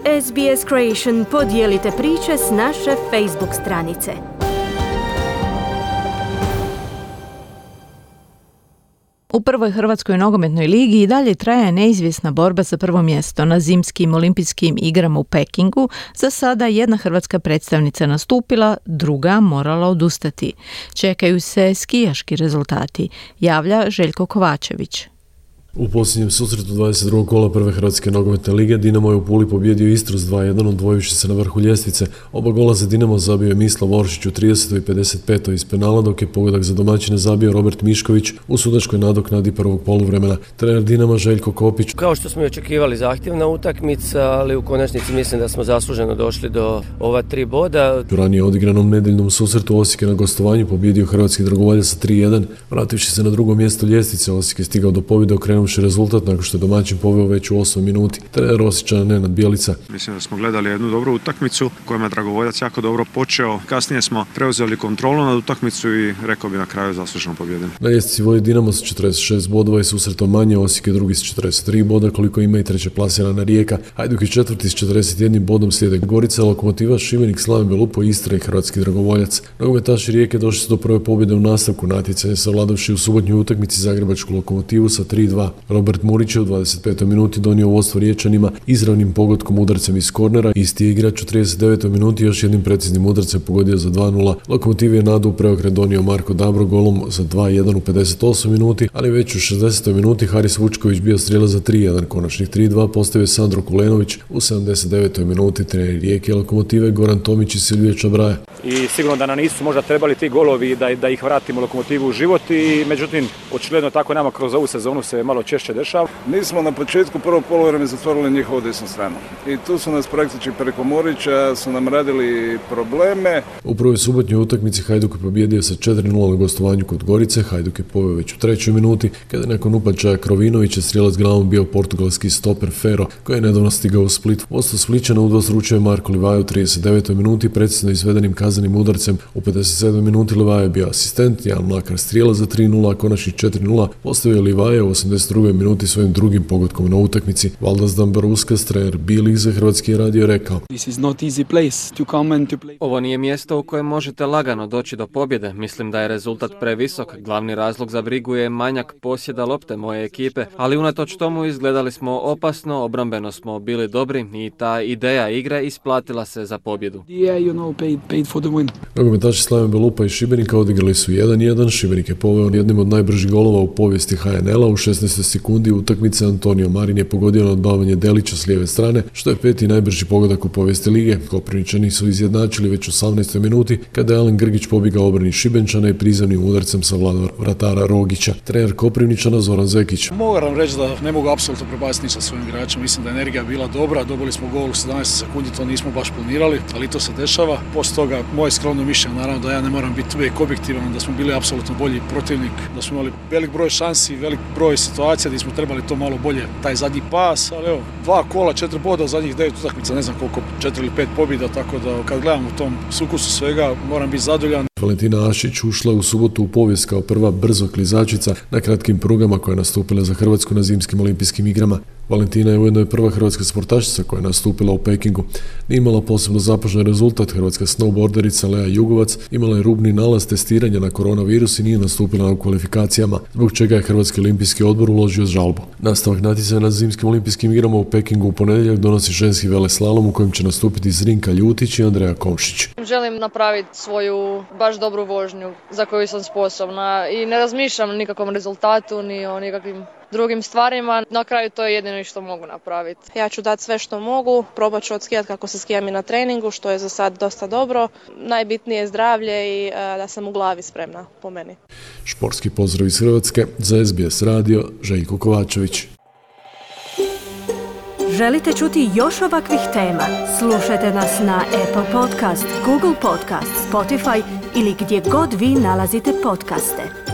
SBS Creation podijelite priče s naše Facebook stranice. U prvoj Hrvatskoj nogometnoj ligi i dalje traje neizvjesna borba za prvo mjesto na zimskim olimpijskim igrama u Pekingu. Za sada jedna hrvatska predstavnica nastupila, druga morala odustati. Čekaju se skijaški rezultati, javlja Željko Kovačević. U posljednjem susretu 22. kola prve Hrvatske nogometne lige Dinamo je u Puli pobijedio Istru s 2-1, odvojivši se na vrhu ljestvice. Oba gola za Dinamo zabio je Mislav Oršić u 30. i 55. iz penala, dok je pogodak za domaćine zabio Robert Mišković u sudačkoj nadoknadi prvog poluvremena. Trener Dinama Željko Kopić. Kao što smo i očekivali, zahtjevna utakmica, ali u konačnici mislim da smo zasluženo došli do ova 3 boda. U ranije odigranom nedeljnom susretu Osijek je na gostovanju pobijedio hrvatski dragovoljac sa 3-1. Vrativši se na drugo mjesto ljestvice, Osijek je stigao do pobjede okrenuvši rezultat nakon što je domaćin poveo već u 8 minuti. Trener Osječana Nenad Bjelica. Mislim da smo gledali jednu dobru utakmicu kojima je dragovoljac jako dobro počeo. Kasnije smo preuzeli kontrolu nad utakmicu i rekao bi na kraju zasluženo pobjedili. Na ljestvici vodi Dinamo sa 46 bodova i susretom manje, Osijek je drugi s 43 boda, koliko ima i treće plasirana Rijeka. Hajduk je četvrti s 41 bodom, slijede Gorica, Lokomotiva, Šibenik, Slaven Belupo, Istra i hrvatski dragovoljac. Nogometaši Rijeke došli su do prve pobjede u nastavku natjecanja, savladavši u subotnjoj utakmici zagrebačku Lokomotivu sa 3-2. Robert Murić je u 25. minuti donio vodstvo Riječanima izravnim pogodkom udarcem iz kornera. Isti je igrač u 39. minuti još jednim preciznim udarcem pogodio za 2-0. Lokomotiv je nadu u preokret donio Marko Dabro golom za 2-1 u 58. minuti, ali već u 60. minuti Haris Vučković bio strijelac za 3-1. Konačnih 3-2 postavio Sandro Kulenović u 79. minuti. Treneri Rijeke Lokomotive Goran Tomić i Silvije Čabraja. I sigurno da nam nisu možda trebali ti golovi da ih vratimo Lokomotivu u život, i međutim očigledno tako nama kroz ovu sezonu se malo češće dešava. Mi smo na početku prvog poluvremena zatvorili njihovu desnu stranu i tu su nas praktički preko Morića su nam radili probleme. U prvoj subotnjoj utakmici Hajduk je pobjedio sa 4-0 na gostovanju kod Gorice. Hajduk je poveo već u 3. minuti kada je nakon upačaja Krovinovića strijelac glavom bio portugalski stoper Fero koji je nedavno stigao u Split. Vodstvo Splićana udvostručio Marko Livaja u 39. minuti precizno izvedenim kaznenim udarcem. U 57. minuti Livaja je bio asistent, Jan Mlakar strijelac za 3-0, a konačnih 4-0 postavio Livaja u 82. minuti svojim drugim pogodkom na utakmici. Valdas Dambaruskas, trener B-League za Hrvatski radio, rekao: Ovo nije mjesto u kojem možete lagano doći do pobjede. Mislim da je rezultat previsok. Glavni razlog za brigu je manjak posjeda lopte moje ekipe, ali unatoč tomu izgledali smo opasno, obrambeno smo bili dobri i ta ideja igre isplatila se za pobjedu. Nogometaši Slaven Belupa i Šibenika odigrali su 1-1. Šibenik je poveo jednim od najbržih golova u povijesti HNL-a. U 16. sekundi utakmice Antonio Marin je pogodio na odbavanje Delića s lijeve strane, što je 5. najbrži pogodak u povijesti lige. Koprivničani su izjednačili već u 18. minuti kada je Alen Grgić pobjegao obrani Šibenčana i prizemnim udarcem savladao vratara Rogića. Trener Koprivničana Zoran Zekić. Moram reći da ne mogu apsolutno prebaciti ništa svojim igračima. Mislim da je energija bila dobra, dobili smo gol u 17 sekundi, to nismo baš planirali, ali to se dešava. Poslije toga moje skromno mišljenje, naravno da ja ne moram biti uvijek objektivan, da smo bili apsolutno bolji protivnik, da smo imali velik broj šansi, velik broj situacija gdje smo trebali to malo bolje, taj zadnji pas, ali evo, 2 kola, 4 boda u zadnjih 9 utakmica, ne znam koliko, 4 ili 5 pobjeda, tako da kad gledam u tom sukusu svega, moram biti zadovoljan. Valentina Ašić ušla u subotu u povijest kao prva brzo klizačica na kratkim prugama koja je nastupila za Hrvatsku na zimskim olimpijskim igrama. Valentina je ujedno prva hrvatska sportašica koja je nastupila u Pekingu. Nije imala posebno zapažen rezultat. Hrvatska snowboarderica Lea Jugovac imala je rubni nalaz testiranja na koronavirus i nije nastupila na kvalifikacijama, zbog čega je Hrvatski olimpijski odbor uložio žalbu. Nastavak natjecanja na zimskim olimpijskim igrama u Pekingu u ponedjeljak donosi ženski veleslalom u kojem će nastupiti Zrinka Ljutić i Andreja Komšić. Želim napraviti svoju baš dobru vožnju za koju sam sposobna i ne razmišljam o nikakvom rezultatu ni o nikakvim drugim stvarima. Na kraju to je jedino što mogu napraviti. Ja ću dati sve što mogu, probat ću odskijati kako se skijam i na treningu, što je za sad dosta dobro. Najbitnije je zdravlje i da sam u glavi spremna, po meni. Športski pozdrav iz Hrvatske za SBS radio, Željko Kovačević. Želite čuti još ovakvih tema? Slušajte nas na Apple Podcast, Google Podcast, Spotify ili gdje god vi nalazite podcaste.